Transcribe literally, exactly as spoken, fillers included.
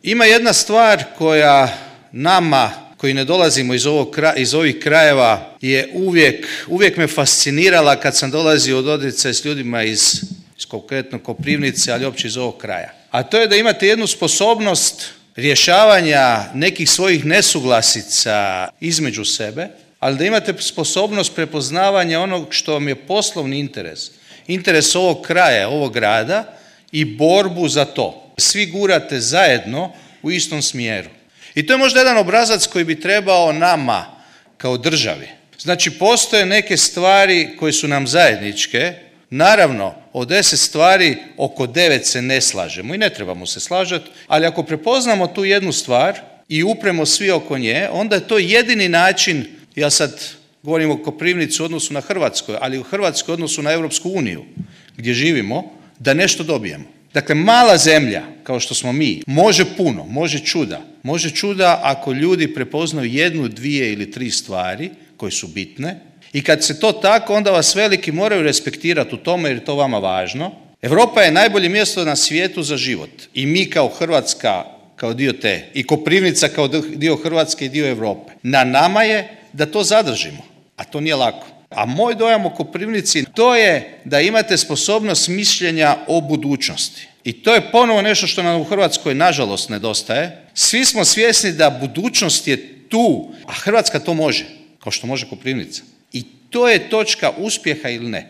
Ima jedna stvar koja nama koji ne dolazimo iz, ovog, iz ovih krajeva je uvijek, uvijek me fascinirala kad sam dolazio od dodircaja s ljudima iz, iz konkretno Koprivnice, ali uopće iz ovog kraja. A to je da imate jednu sposobnost rješavanja nekih svojih nesuglasica između sebe, ali da imate sposobnost prepoznavanja onog što vam je poslovni interes, interes ovog kraja, ovog grada i borbu za to. Svi gurate zajedno u istom smjeru. I to je možda jedan obrazac koji bi trebao nama kao državi. Znači, postoje neke stvari koje su nam zajedničke. Naravno, od deset stvari oko devet se ne slažemo i ne trebamo se slažati, ali ako prepoznamo tu jednu stvar i upremo svi oko nje, onda je to jedini način, ja sad govorim o Koprivnici u odnosu na Hrvatskoj, ali u Hrvatskoj u odnosu na Europsku uniju gdje živimo, da nešto dobijemo. Dakle, mala zemlja, kao što smo mi, može puno, može čuda. Može čuda ako ljudi prepoznaju jednu, dvije ili tri stvari koje su bitne i kad se to tako, onda vas veliki moraju respektirati u tome jer je to vama važno. Europa je najbolje mjesto na svijetu za život i mi kao Hrvatska, kao dio te, i Koprivnica kao dio Hrvatske i dio Europe. Na nama je da to zadržimo, a to nije lako. A moj dojam o Koprivnici, to je da imate sposobnost mišljenja o budućnosti. I to je ponovo nešto što nam u Hrvatskoj nažalost nedostaje. Svi smo svjesni da budućnost je tu, a Hrvatska to može, kao što može Koprivnica. I to je točka uspjeha ili ne.